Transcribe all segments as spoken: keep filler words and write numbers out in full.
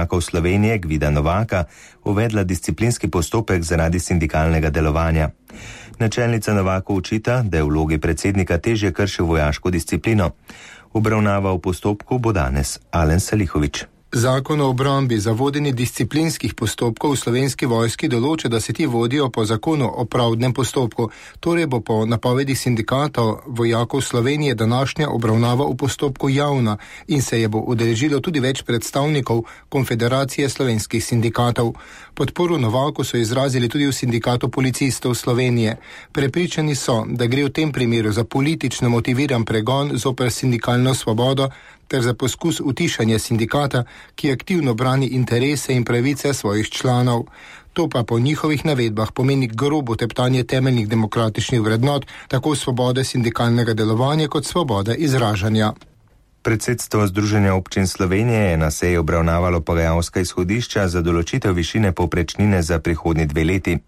vojakov Slovenije Gvida Novaka uvedla disciplinski postopek zaradi sindikalnega delovanja. Načelnica Novaku očita, da je v vlogi predsednika težje kršil vojaško disciplino. Obravnava v postopku bo danes Alen Salihović. Zakon o obrambi za vodenje disciplinskih postopkov v Slovenski vojski določa, da se ti vodijo po zakonu o pravdnem postopku. Torej bo po napovedi sindikatov vojakov Slovenije današnja obravnava v postopku javna in se je bo udeležilo tudi več predstavnikov Konfederacije slovenskih sindikatov. Podporo Novaku so izrazili tudi v Sindikatu policistov Slovenije. Prepričani so, da gre v tem primeru za politično motiviran pregon zoper sindikalno svobodo ter za poskus utišanja sindikata, ki aktivno brani interese in pravice svojih članov. To pa po njihovih navedbah pomeni grobo teptanje temeljnih demokratičnih vrednot, tako svobode sindikalnega delovanja kot svobode izražanja. Predsedstvo Združenja občin Slovenije je na seji obravnavalo pogajalska izhodišča za določitev višine povprečnine za prihodnji dve leti.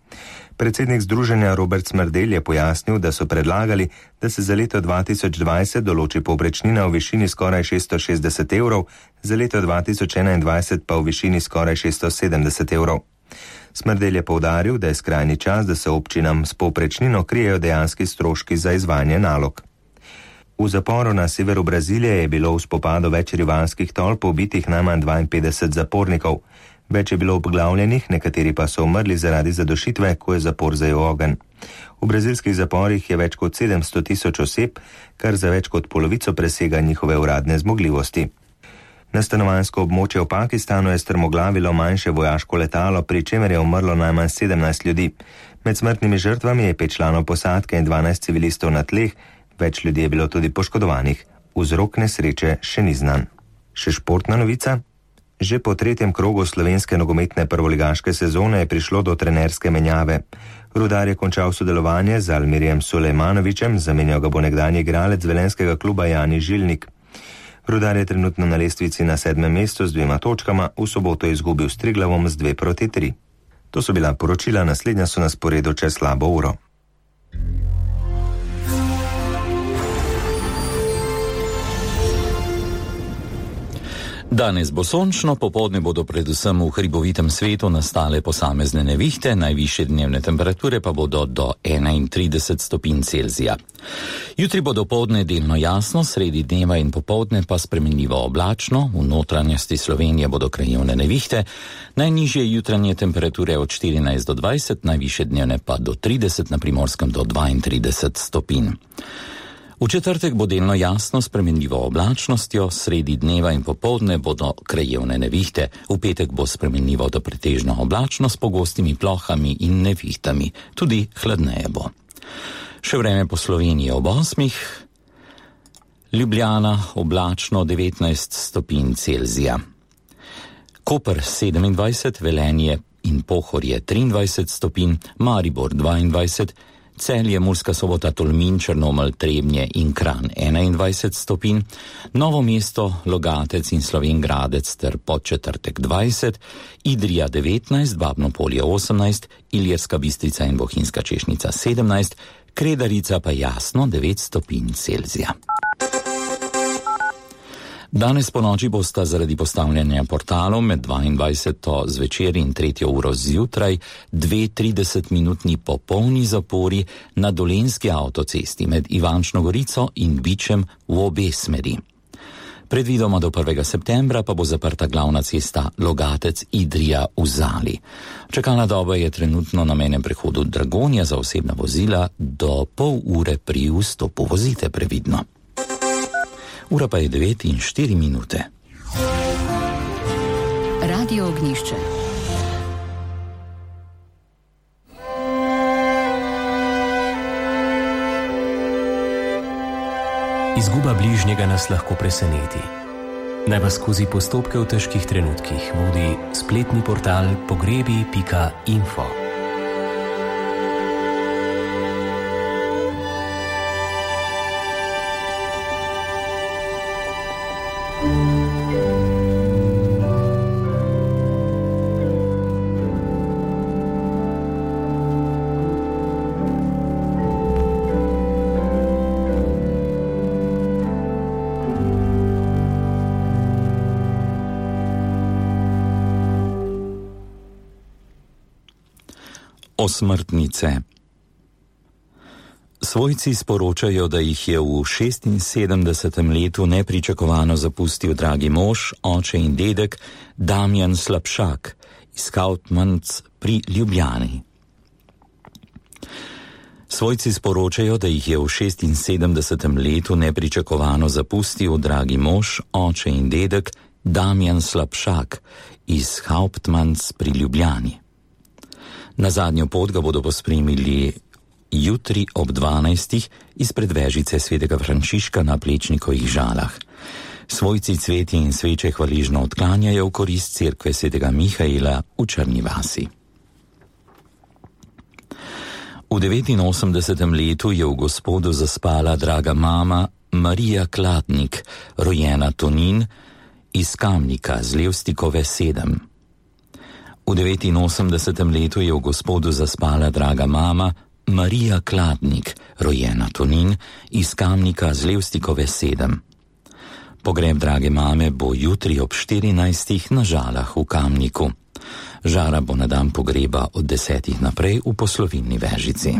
Predsednik združenja Robert Smrdelj je pojasnil, da so predlagali, da se za leto dva tisoč dvajset določi povprečnina v višini skoraj šeststo šestdeset evrov, za leto dva tisoč enaindvajset pa v višini skoraj šeststo sedemdeset evrov. Smrdelj je poudaril, da je skrajni čas, da se občinam s povprečnino krijejo dejanski stroški za izvajanje nalog. V zaporu na severu Brazilije je bilo v spopadu več rivalskih tolp ubitih najmanj dvainpetdeset zapornikov. Več je bilo obglavljenih, nekateri pa so umrli zaradi zadušitve, ko je zapor zajel ogenj. V brazilskih zaporih je več kot sedemsto tisoč oseb, kar za več kot polovico presega njihove uradne zmogljivosti. Na stanovanjsko območje v Pakistanu je strmoglavilo manjše vojaško letalo, pri čemer je umrlo najmanj sedemnajst ljudi. Med smrtnimi žrtvami je pet članov posadke in dvanajst civilistov na tleh, več ljudi je bilo tudi poškodovanih. Vzrok nesreče še ni znan. Še športna novica? Že po tretjem krogu slovenske nogometne prvoligaške sezone je prišlo do trenerske menjave. Rudar je končal sodelovanje z Almirjem Sulejmanovićem, zamenjal ga bo nekdanji igralec velenjskega kluba Jani Žilnik. Rudar je trenutno na lestvici na sedmem mestu z dvema točkama, v soboto je izgubil s Triglavom z dve proti tri. To so bila poročila, naslednja so na sporedu čez slabo uro. Danes bo sončno, popoldne bodo predvsem v hribovitem svetu nastale posamezne nevihte, najvišje dnevne temperature pa bodo do enaintrideset stopinj Celzija. Jutri bo dopoldne delno jasno, sredi dneva in popoldne pa spremenljivo oblačno, v notranjosti Slovenije bodo krajevne nevihte, najnižje jutranje temperature od štirinajst do dvajset, najvišje dnevne pa do trideset, na Primorskem do dvaintrideset stopinj. V četrtek bo delno jasno s spremenljivo oblačnostjo, sredi dneva in popoldne bodo krajevne nevihte, v petek bo spremenljivo do pretežno oblačno s pogostimi plohami in nevihtami, tudi hladneje bo. Še vreme po Sloveniji ob osmih, Ljubljana oblačno devetnajst stopinj Celzija, Koper sedemindvajset, Velenje in Pohorje triindvajset stopinj, Maribor dvaindvajset, Celje, Murska Sobota, Tolmin, Črnomelj, Trebnje in Kranj enaindvajset stopinj, Novo mesto, Logatec in Slovenj Gradec ter Podčetrtek dvajset, Idrija devetnajst, Babno Polje osemnajst, Ilirska Bistrica in Bohinjska Češnica sedemnajst, Kredarica pa jasno devet stopinj Celzija. Danes po noči bosta zaradi postavljanja portalov med dvaindvajseto zvečer in tretjo uro zjutraj dve tridesetminutni popolni zapori na Dolenjski avtocesti med Ivančno Gorico in Bičem v obe smeri. Predvidoma do prvega septembra pa bo zaprta glavna cesta Logatec-Idrija v Zali. Čakalna doba je trenutno na mejnem prehodu Dragonja za osebna vozila do pol ure pri vstopu. Vozite previdno. Ura pa je devet in štiri minute. Radio Ognjišče. Izguba bližnjega nas lahko preseneti. Naj vas skozi postopke v težkih trenutkih vodi spletni portal pogrebi pika info. Osmrtnice. Svojci sporočajo, da jih je v šestinsedemdesetem letu nepričakovano zapustil dragi mož, oče in dedek Damjan Slapšak iz Hauptmanns pri Ljubljani. Svojci sporočajo, da jih je v šestinsedemdesetem letu nepričakovano zapustil dragi mož, oče in dedek Damjan Slapšak iz Hauptmanns pri Ljubljani. Na zadnjo pot ga bodo pospremili jutri ob dvanajstih izpred vežice svetega Frančiška na Plečnikovih Žalah. Svojci cvetje in sveče hvaležno odklanjajo v korist cerkve svetega Mihaela v Črni vasi. V devetinosemdesetem letu je v Gospodu zaspala draga mama Marija Kladnik, rojena Tonin, iz Kamnika z Levstikove sedem. V devetinosemdesetem letu je v Gospodu zaspala draga mama Marija Kladnik, rojena Tonin, iz Kamnika z Levstikove sedem. Pogreb drage mame bo jutri ob štirinajstih na Žalah v Kamniku. Žara bo na dan pogreba od desetih naprej v poslovilni Vežici.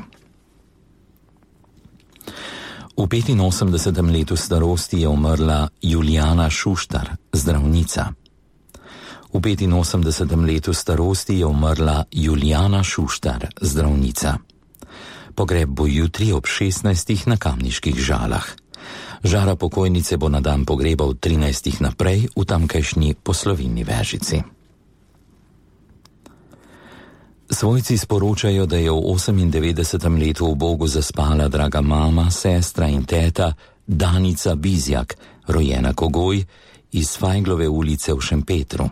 V petinosemdesetem letu starosti je umrla Julijana Šuštar, zdravnica. V petinosemdesetem letu starosti je umrla Julijana Šuštar, zdravnica. Pogreb bo jutri ob šestnajstih na Kamniških Žalah. Žara pokojnice bo na dan pogreba od trinajstih naprej v tamkajšnji poslovilni Vežici. Svojci sporočajo, da je v osemindevetdesetem letu v Bogu zaspala draga mama, sestra in teta Danica Bizjak, rojena Kogoj, iz Fajglove ulice v Šempetru.